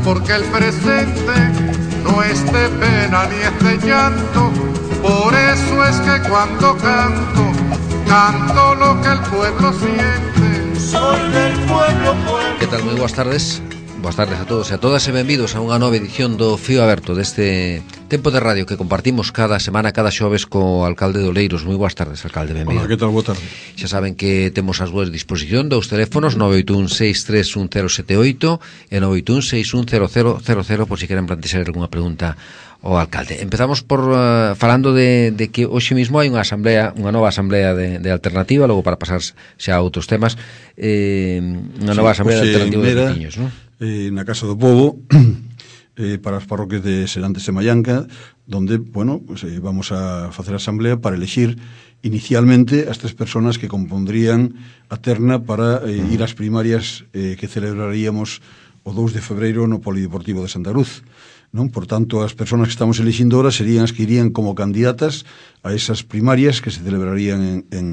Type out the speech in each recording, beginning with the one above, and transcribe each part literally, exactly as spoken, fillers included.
porque el presente no es de pena ni es de llanto. Por eso es que cuando canto, canto lo que el pueblo siente. Soy del pueblo, pueblo. Que tal? Moi boas tardes. Boas tardes a todos e a todas e benvidos a unha nova edición do Fío Aberto, deste tempo de radio que compartimos cada semana, cada xoves co alcalde de Oleiros. Moi boas tardes, alcalde, benvido. Hola, que tal? Boa tarde. Xa saben que temos as súas disposición dos teléfonos nove oito un seis tres un cero sete oito e nove oito un seis un cero cero cero cero por si queren plantexar algunha pregunta ao alcalde. Empezamos por uh, falando de, de que hoxe mismo hai unha asamblea, unha nova asamblea de, de alternativa, logo para pasar xa a outros temas, eh, unha nova sí, asamblea de alternativa de veciños, non? Eh, na Casa do Pobo, eh, para as parroquias de Serantes e Mallanca, donde, bueno, pues, eh, vamos a facer a asamblea para elexir inicialmente as tres personas que compondrían a terna para eh, ir ás primarias eh, que celebraríamos o dous de febreiro no Polideportivo de Santa Cruz, non? Por tanto, as persoas que estamos elixindo ahora serían as que irían como candidatas a esas primarias que se celebrarían en, en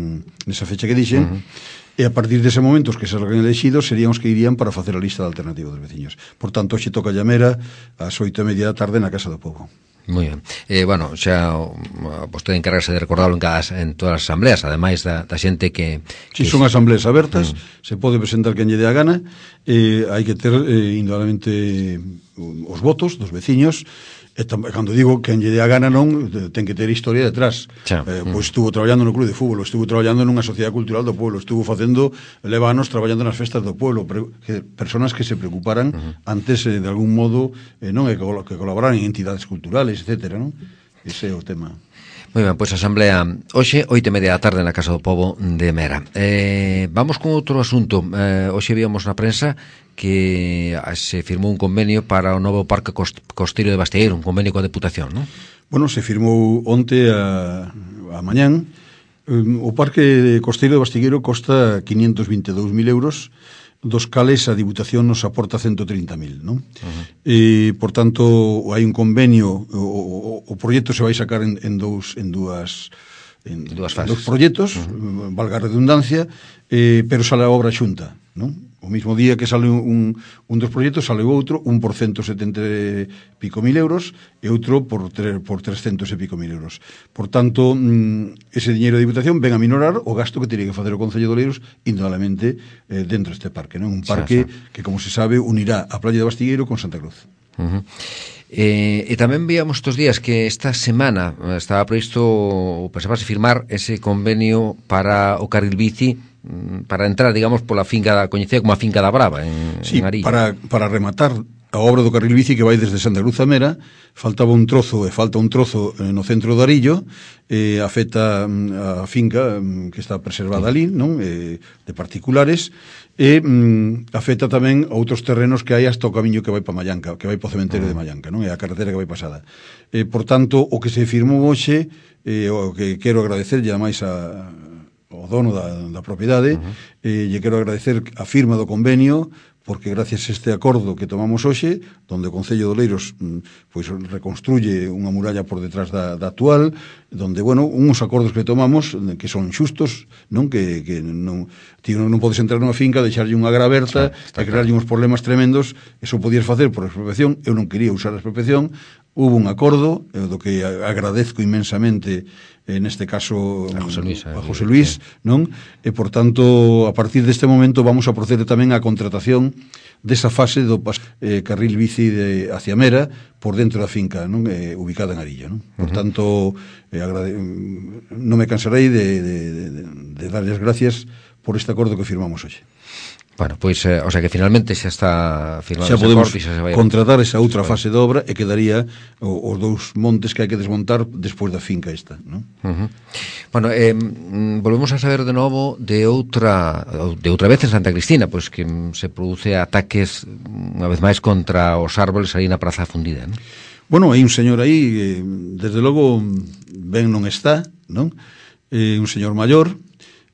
nesa fecha que dixen. Uh-huh. E a partir dese momento os que se salgan elexidos serían os que irían para facer a lista de alternativa dos veciños. Por tanto, hoxe toca llamera ás oito e media da tarde na Casa do Pobo. Moi ben. Eh, bueno, xa vostede encargarse de recordarlo en, cada, en todas as asambleas, ademais da, da xente que... Si, que son es... asambleas abertas, mm. se pode presentar quen lle dé a gana, eh, hai que ter eh, indudablemente os votos dos veciños, e tam, cando digo que en lle dé a gana non, ten que ter historia detrás. Eh, pois estuvo traballando no club de fútbol, estuvo traballando nunha sociedade cultural do pueblo, estuvo facendo, leva anos traballando nas festas do pueblo, pre, que, personas que se preocuparan uh-huh. antes eh, de algún modo eh, non, que, que colaboraran en entidades culturales, etcétera, non? Ese é o tema. Moi ben, pois a asamblea hoxe, oito e media da tarde na Casa do Pobo de Mera. Eh, vamos con outro asunto. Eh, hoxe víamos na prensa que se firmou un convenio para o novo Parque Costeiro de Bastieiro, un convenio coa Deputación, non? Bueno, se firmou onte a, a mañán. O Parque Costeiro de Bastieiro costa quinientos vinte e dous mil euros, dos cales a Diputación nos aporta ciento trinta mil, non? Uh-huh. E, por tanto, hai un convenio, o, o, o proxecto se vai sacar en, en dous, en dúas en, en dúas fases, dos proxectos, uh-huh. valga a redundancia, eh, pero sale a obra xunta, non? O mismo día que sale un, un dos proxectos, sale outro, un por ciento setenta e pico mil euros e outro por, tre, por trescentos e pico mil euros. Por tanto, ese diñeiro de Diputación ven a minorar o gasto que teria que facer o Concello de Oleiros indudablemente eh, dentro deste parque, non? Un parque xa, xa. que, como se sabe, unirá a Praia de Bastieiro con Santa Cruz. Uh-huh. Eh, e tamén víamos estes días que esta semana estaba previsto ou pensabase firmar ese convenio para o carril bici, para entrar, digamos, pola finca da coñecida como a finca da Brava en, sí, en Arilla. para, para rematar a obra do carril bici que vai desde Santa Cruz a Mera, faltaba un trozo e falta un trozo no centro do Arillo, eh, afecta a finca que está preservada ali, non? Eh, de particulares, e mm, afecta tamén a outros terrenos que hai hasta o camiño que vai para Mallanca, que vai para o cementerio de Mallanca, non? É a carretera que vai pasada. Eh, por tanto, o que se firmou hoxe, eh, o que quero agradecer, e ademais a o dono da, da propiedade, uh-huh. eh, lle quero agradecer a firma do convenio, porque gracias a este acordo que tomamos hoxe, donde o Concello de Oleiros pois reconstruye unha muralla por detrás da, da actual, donde, bueno, uns acordos que tomamos que son xustos, non? Que, que non, ti non podes entrar nunha finca, deixarlle unha gra aberta sí, e crearlle uns problemas tremendos. Eso podías facer por expropiación, eu non quería usar a expropiación, hubo un acordo, eh, do que agradezco inmensamente en este caso a José Luis, a José Luis, non? E por tanto, a partir deste momento vamos a proceder tamén á contratación desa fase do eh, carril bici de hacia Mera por dentro da finca, non? Eh, ubicada en Arilla, non? Por uh-huh. tanto, eh, agrade... non me cansarei de, de, de, de darles gracias por este acordo que firmamos hoxe. Bueno, pois, eh, o sea que finalmente xa está firmado xa podemos corte, xa se vai contratar esa outra fase de obra e quedaría o, os dous montes que hai que desmontar despois da finca esta, non? Uh-huh. Bueno, eh, volvemos a saber de novo de outra de outra vez en Santa Cristina, pois que se produce ataques unha vez máis contra os árboles aí na Praza Fundida, non? Bueno, hai un señor aí, eh, desde logo ben non está, non? Eh, un señor maior,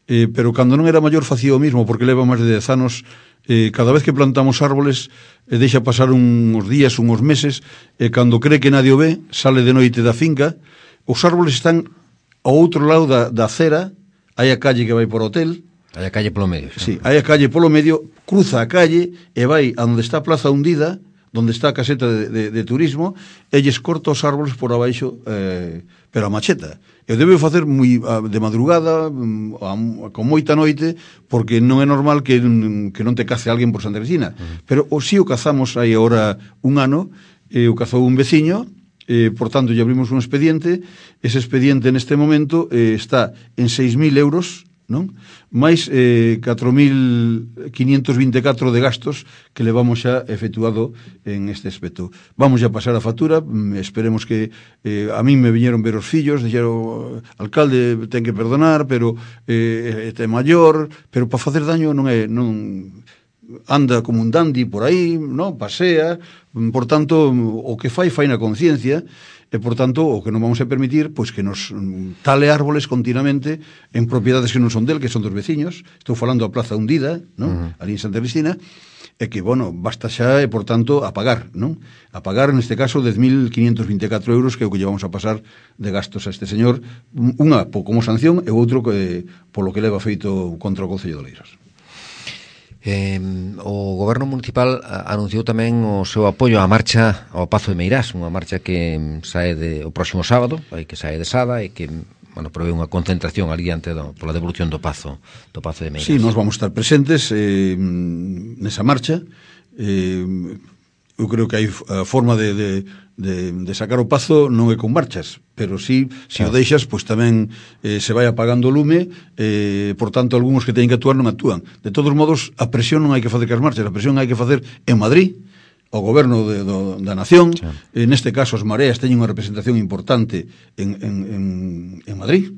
Eh, pero cando non era maior facía o mismo, porque leva máis de dez anos, eh, cada vez que plantamos árboles eh, deixa pasar uns días, uns meses, e cando cree que nadie o ve, sale de noite da finca. Os árboles están ao outro lado da, da acera, hai a calle que vai por hotel, hai a calle polo medio, sí, hai a calle polo medio, cruza a calle e vai a onde está a Plaza Hundida, donde está a caseta de, de, de turismo, e lles corta os árboles por abaixo, eh, pero a macheta. Eu debo facer moi de madrugada, a, con moita noite, porque non é normal que, que non te cace alguén por Santa Cristina. Uh-huh. Pero o si o cazamos aí agora un ano, e o cazou un veciño, eh, por tanto, lle abrimos un expediente. Ese expediente neste momento eh, está en seis mil euros, non? Mais eh, catro mil quinientos vinte e catro de gastos que levamos xa efectuado en este aspecto. Vamos a pasar a factura, esperemos que eh, a min me viñeron ver os fillos, dixeron, alcalde, ten que perdonar, pero eh, é maior, pero para facer daño non é... non anda como un dandy por aí, no? Pasea, por tanto, o que fai, fai na conciencia, e, por tanto, o que non vamos a permitir, pois que nos tale árboles continuamente en propiedades que non son del, que son dos veciños. Estou falando a Plaza Hundida, non? Uh-huh. Ali en Santa Cristina, e que, bueno, basta xa, e, por tanto, a pagar, non? A pagar, neste caso, dez mil quinientos vinte e catro euros, que é o que llevamos a pasar de gastos a este señor, unha como sanción e outro que, polo que leva feito contra o Concello de Oleiros. Eh, o Goberno Municipal anunciou tamén o seu apoio á marcha ao Pazo de Meirás, unha marcha que sae de, o próximo sábado, que sae de Sada e que, bueno, prevé unha concentración ali ante do, pola devolución do Pazo do Pazo de Meirás. Sí, nós vamos estar presentes eh, nesa marcha. eh, eu creo que hai a forma de, de, de, de sacar o Pazo non é con marchas, pero sí, se o deixas, pois tamén eh, se vai apagando o lume, eh, por tanto, algúns que teñen que actuar non actúan. De todos modos, a presión non hai que facer que as marchas, a presión hai que facer en Madrid, o goberno de, do, da nación, sí. eh, neste caso as mareas teñen unha representación importante en, en, en, en Madrid,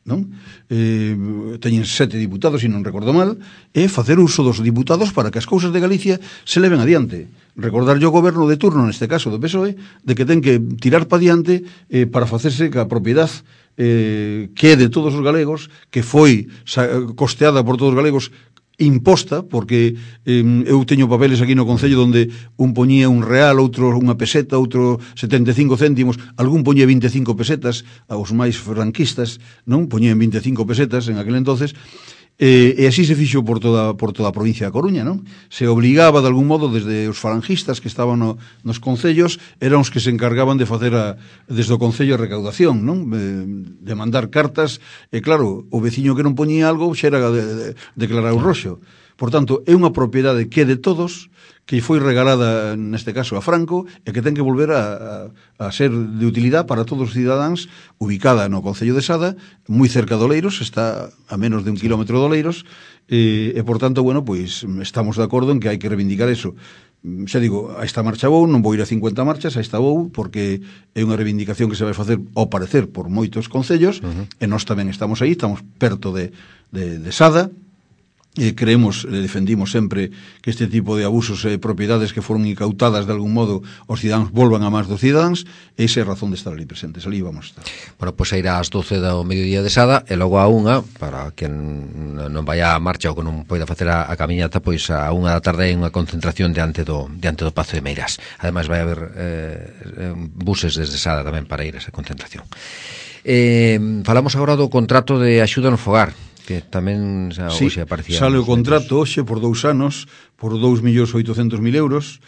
non? Eh, teñen sete diputados, se non recordo mal, e facer uso dos diputados para que as cousas de Galicia se leven adiante. Recordar yo o goberno de turno, neste caso do P S O E, de que ten que tirar pa adiante eh, para facerse que a propiedade eh, que é de todos os galegos, que foi costeada por todos os galegos, imposta, porque eh, eu teño papeles aquí no Concello onde un poñía un real, outro unha peseta, outro setenta e cinco céntimos, algún poñía vinte e cinco pesetas, aos máis franquistas, non? Poñían vinte e cinco pesetas en aquel entonces, e, e así se fixo por toda, por toda a provincia da Coruña, non? Se obligaba de algún modo desde os falangistas que estaban no, nos concellos, eran os que se encargaban de facer a, desde o concello a recaudación, non? De mandar cartas, e claro, o veciño que non poñía algo xa era de, de, declarar o roxo. Por tanto, é unha propiedade que é de todos, que foi regalada, neste caso, a Franco, e que ten que volver a, a, a ser de utilidade para todos os cidadáns, ubicada no Concello de Sada, moi cerca de Oleiros, está a menos de un kilómetro de Oleiros, e, e por tanto, bueno, pois estamos de acordo en que hai que reivindicar eso. Xa digo, a esta marcha vou, non vou ir a cincuenta marchas, a esta vou, porque é unha reivindicación que se vai facer, ao parecer, por moitos concellos, uh-huh. e nós tamén estamos aí, estamos perto de, de, de Sada. E creemos, e defendimos sempre que este tipo de abusos e propiedades que foron incautadas de algún modo os cidadáns volvan a máis dos cidadáns, e esa é a razón de estar ali presentes, ali vamos a estar. Bueno, pois pues, irá ás doce do mediodía de Sada e logo a unha, para quen non vaya a marcha ou que non poida facer a, a camiñata, pois a unha da tarde hai unha concentración diante do, diante do Pazo de Meirás. Ademais vai haber eh, buses desde Sada tamén para ir a esa concentración. Eh, falamos agora do contrato de axuda no fogar, que tamén xa, sí, hoxe aparecía. Sale o contrato hoxe por dous anos, por dous millóns oitocentos mil euros,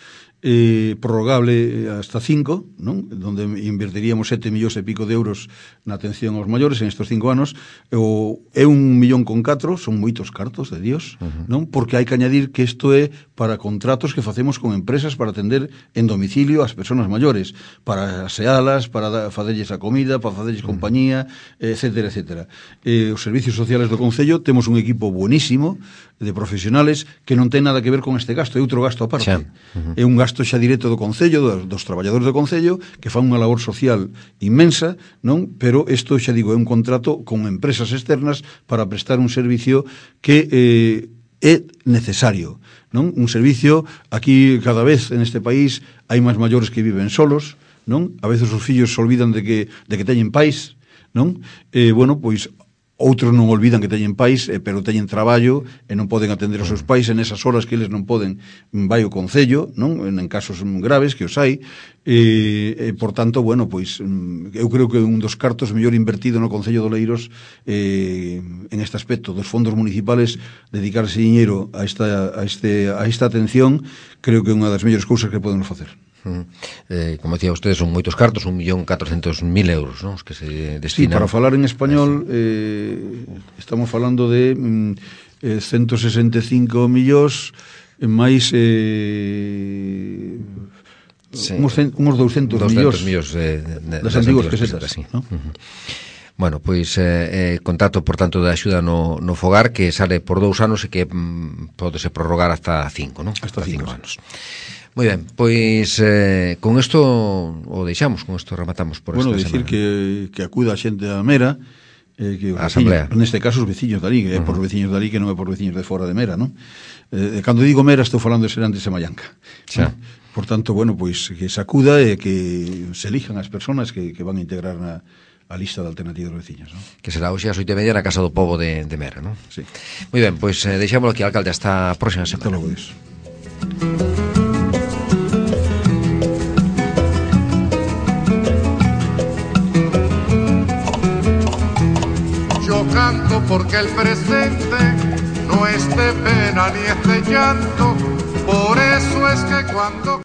eh, prorrogable hasta cinco, non? Donde invertiríamos sete millóns e pico de euros na atención aos maiores en estes cinco anos, o, é un millón con catro, son moitos cartos de Dios, uh-huh. non? Porque hai que añadir que isto é para contratos que facemos con empresas para atender en domicilio ás persoas maiores, para asealas, para facerlles a comida, para facerlles uh-huh. compañía, etcétera, etcétera. Eh, os servicios sociales do Concello temos un equipo buenísimo de profesionales que non ten nada que ver con este gasto, é outro gasto aparte. Uh-huh. É un gasto xa directo do Concello, dos, dos traballadores do Concello, que fan unha labor social inmensa, non? Pero isto, xa digo, é un contrato con empresas externas para prestar un servicio que eh, é necesario, non? Un servicio, aquí cada vez en este país hai máis maiores que viven solos, non? A veces os fillos se olvidan de que, de que teñen pais, non? Eh, bueno, pois outros non olvidan que teñen pais, eh, pero teñen traballo e non poden atender aos seus pais en esas horas que eles non poden, vai o concello, non? En casos graves que os hai, e, e por tanto, bueno, pois eu creo que un dos cartos mellor invertido no Concello de Oleiros eh, en este aspecto dos fondos municipales, dedicarse dinheiro a esta, a, este, a esta atención, creo que é unha das mellores cousas que podemos facer. Mm. Eh, como decía usted, son moitos cartos, un millón catrocentos mil euros, ¿no? Os que se destinan. Sí, para falar en español eh, estamos falando de mm, eh, ciento sesenta e cinco millóns máis eh, sí. unos, unos doscientos millóns de, de, de, das antiguas pesetas, sí. ¿no? Uh-huh. Bueno, pois eh, eh, contrato, por tanto, de axuda no, no fogar que sale por dous anos e que mm, pode se prorrogar hasta cinco, ¿no? Hasta, hasta cinco, cinco anos. Moi ben, pois eh, con isto o deixamos, con isto rematamos por bueno, esta semana. Bueno, dicir que, que acuda a xente a Mera, eh, que a Asamblea. Neste caso os veciños dali, que é uh-huh. por veciños dali que non é por veciños de fora de Mera, non? Eh, cando digo Mera estou falando de Serantes e Mallanca. Xa. ¿no? Por tanto, bueno, pois que se acuda e que se elijan as persoas que, que van a integrar na a lista de alternativas dos veciños, ¿no? Que será hoxe ás oito e media na Casa do Pobo de, de Mera, ¿no? Sí. Moi ben, pois eh, deixámoslo aquí, alcalde, hasta a próxima semana. Hasta logo, Dios. Yo canto porque el presente no es de pena ni es de llanto, por eso es que cuando